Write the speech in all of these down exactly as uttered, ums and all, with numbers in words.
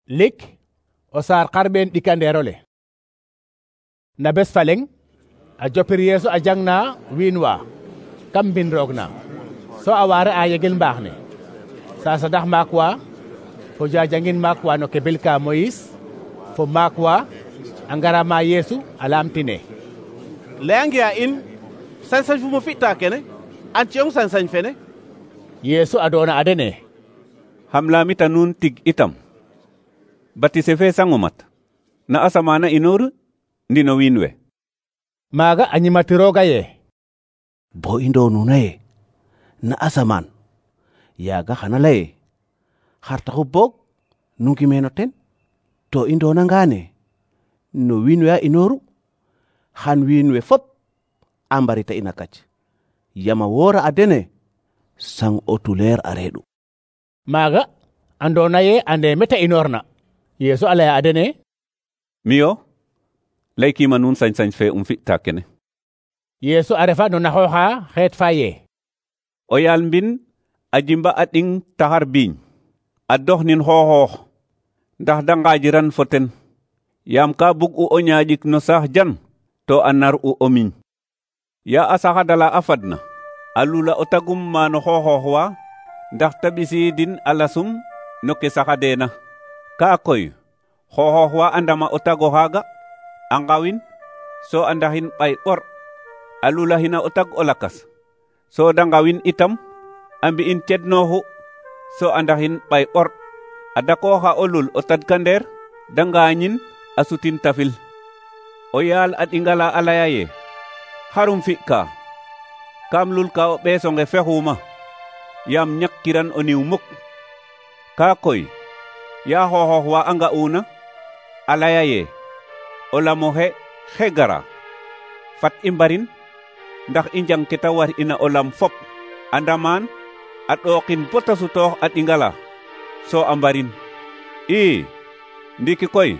lik o saar xarɓeen ɗikandeerole. Na bes fa leŋ a jopir Yeesu a jang na wiin wa kam mbin roog na, so a waare a yegel mbaax ne sa sadax maak wa fo jajangin maak wa no kebil ka Moyis fo maak wa a ngara ma Yeesu a laamtine: leyange a in sañ-sañ fu mo fi'ta kene, an ciyong sañ-sañ fene? Yeesu a doona a dene: xam laamita nuun tig itam, batise fe sango mat na asamana inoru ndi no wiin we? Maaga a ñimatirooga ye: bo i ndoonuna ye na asamaan, yaaga xana laye xar taxu boog nu ngimeno ten? To i ndoonangaane no wiin we a inoru, xan wiin we fop a mbarita in a kac, yama woora a dene sang o tuleer a reeɗu. Maaga andoona ye ande mete inoorna. Yeesu a laya a dene: miyo laykima nuun sañ-sañ fe um fi'ta kene. Yeesu a refa no naxooxa xeet fa ye: o yaal mbin a jimba a ɗing taxar biiñ a dox nin xooxoox ndax da ngaajiran fo ten, yaam ka bug u o ñaaƴik no saax jan to a nar u o miñ. Ya a saxadala a fadna a lula o tagum maano xooxoox wa ndax ta ɓisiidin a lasum no ke saxadeena. Ka koy xooxoox wa a ndama o tago xaaga a ngawin, so a ndaxin ɓay ɓor a lulaxina o tag o lakas, so da ngawin itam a mbi'in cednooxu, so a ndaxin ɓay ɓor a dakooxa o lul o tadkandeer da ngaañin a sutin tafil. O yaal a ɗingala a laya ye: xarum fi'ka? Kam lulka o ɓeesonge fexuuma, yaam ñakkiran o niw muk. Ka koy ya xooxoox wa a nga'uuna a laya ye: o lamo xe xe gara, fat i mbarin ndax i njang ke ta war ina o lam fop, a ndamaan a ɗookin bota sutoox a ɗingala, so a mbarin. ii ndiki koy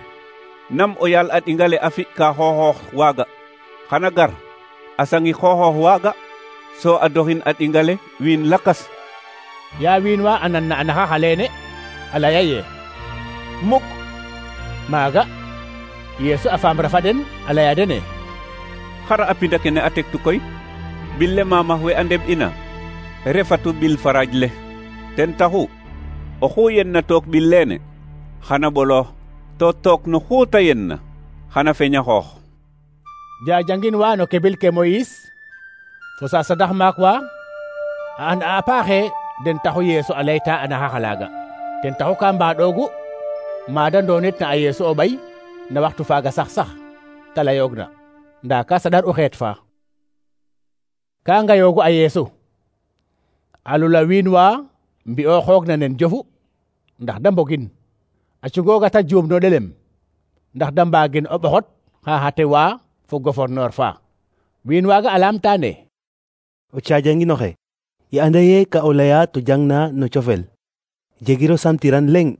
nam o yaal a ɗingale a fi'ka xooxoox waaga xana gar a sangi xooxoox waaga, so a doxin a ɗingale wiin lakas. Ya wiin wa a nan na a naxax aleene a laya ye: muk. Maaga Yeesu a faamra fa den a laya dene: xara a pinda kene a tektu koy? Bille maamax we a ndeɓ ina refatu bil faraaj le. Ten taxu oxu yenna took bil leene xana ɓolo, to took no xuuta yenna xana feña xoox. Jajangin wa no kebil ke Moyis fo sa sadax maak wa a and a paaxe den taxu Yeesu a layta a naxax alaaga. Ten taxu ka mbaɗoogu maada ndoonit na a Yeesu o ɓay na waxtu faaga sax sax ta layoogna, ndaa ka saɗar u xeet fa. Ka ngayoogu a Yeesu a lula wiin wa mbi'o xoogna nen jofu ndax da mbogin, a cungooga ta juum no ɗelem ndax da mbaagin o ɓoxot xa xate wa fo gouverneur fa. Wiin waaga a laamtaane: o caajanginoxe, i anda ye ka o laya to jangna no cofel, jegiro samtiran leŋ,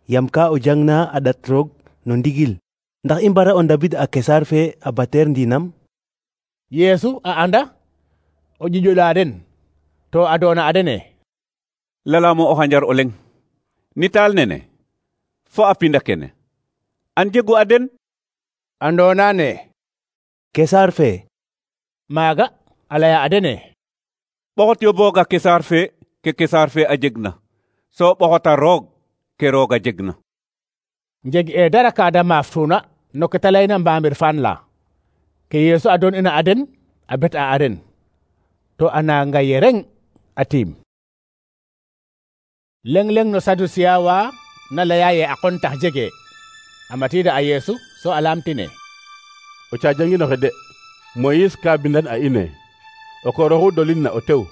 yam ka o jangna a ɗat roog no ndigil, ndax i mbara o ndabid a kesaar fe a bateer ndiinam? Yeesu a anda o ƴiƴola den, to a doona a dene: lalamo o xanjar o leŋ, nitaal nene fo a pinda kene an jegu a den? Andoona ne kesaar fe. Maaga a laya a dene: ɓoxot yo booga kesaar fe ke kesaar fe a jegna, so ɓoxota roog ke roog a jegna. njeg e dara ka da maaftuna no ke ta layna mbaamir faan la. Ke Yeesu a doon ina a den a bet a a den, to a nanga ye reng a tiim. Leŋ-leŋ no Sadusiya wa na laya ye a qon tax jege a matiida a Yeesu, so a laamtine: o caajanginoxe de, Moyis ka bindan a ine o kooroxu dolin na o tew,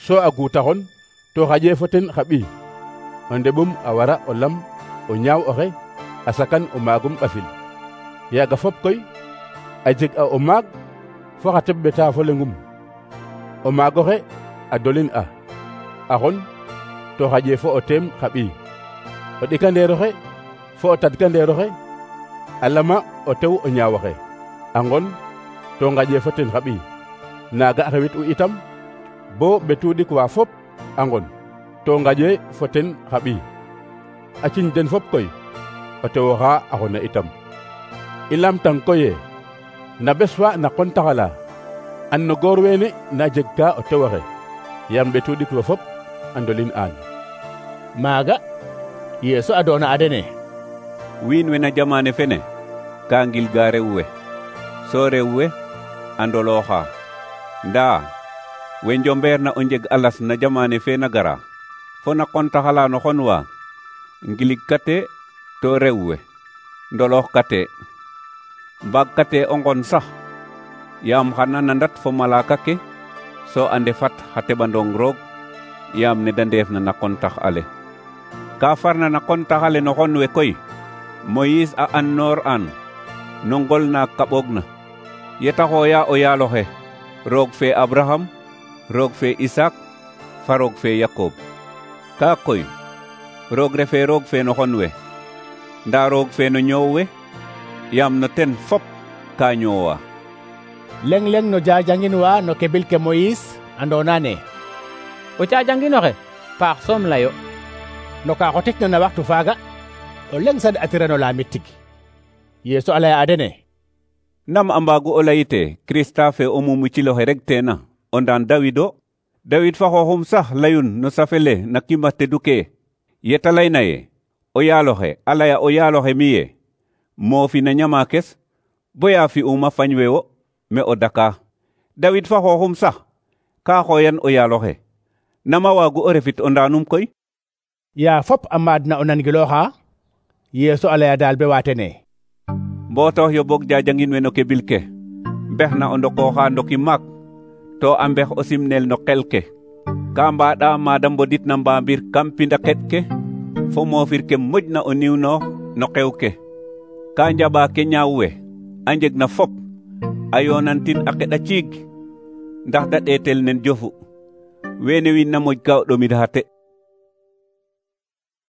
so a guutaxon to xaƴe fo ten xa ɓiy, o ndeɓum a wara o lam o ñaaw oxe a sakan o maagum ɓafil. Yaaga fop koy a jeg a o maag fo xa teɓ ɓeta fo leŋum. O maagoxe a dolin a a xon to xaƴe fo o teem xa ɓiy, o ɗikandeeroxe fo o tadkandeeroxe a lama o tew o ñaawoxe a ngon to ngaƴe fo ten xa ɓiy. Naaga a xewit u itam bo ɓetu ɗik wa fop a ngon to ngaƴe fo ten xa ɓiy. a ciñ den fop koy o tewo xa a xona itam i lamtang koye na bes fa na qontaxala an no goor weene na jeg ka o tewoxe yam ɓetu ɗik fo fop a ndolin aan. maaga Yeesu a doona a dene: wiin we na jamane fene ka ngilga rew we, so rew we a ndolooxa. ndaa we njombeer na o njeg alas na jamane fe na gara fo na qontaxala no xon wa ngilig kate to rew we ndoloox kate mbaag kate o ngon sax yaam xana nandat fo malaka ke so a ndefat xa teɓandong roog yaam ne da ndeef na na qontax ale. ka farna na qontax ale no xon we koy Moïse a an noor an no ngol na kaɓoog na yeta xooya o yaaloxe roog fe Abraham, roog fe Isak, fa roog fe Yakob. ka koy roog refe roog fe no xon we nda roog fe no ñoow we yaam no ten fop ka ñoowa. leng-leng no jajangin wa no kebil ke Moïse andona ne o cajanginoxe paax soom layo no ka xotikna na waxtu faaga o leng sad atirano lamit tig. Yeesu a laya a dene: nam a mbaagu o layite Krista fe o mumuciloxe rek teena o ndaan Dawido? Dawid fa xooxum sax layun no safele na kima tedu ke yeta layna ye o yaaloxe a laya o yaaloxe mi ye moofi na ñama kes boya fi'uma fañ we wo me o daka. Dawid fa xooxum sax ka xooyan o yaaloxe, nama waagu o refit o ndaanum koy? yaa fop a maadna o nangilooxa Yeesu a laya daal be waatene: mbootox yo boog jajangin we no kebil ke mbex na o ndokooxa ndoki maak to a mbex o simnel no qel ke ka mbaɗa maada mbodit na mbaambir kam pinda qeɗ ke fo moofir ke moƴna o niwnoox no qew ke ka njaɓa ke ñaaw we a njeg na fop a yoonantin a qeɗa ciig ndax da ɗeetel nen jofu weene wiin na moƴ ka o ɗomid xa te.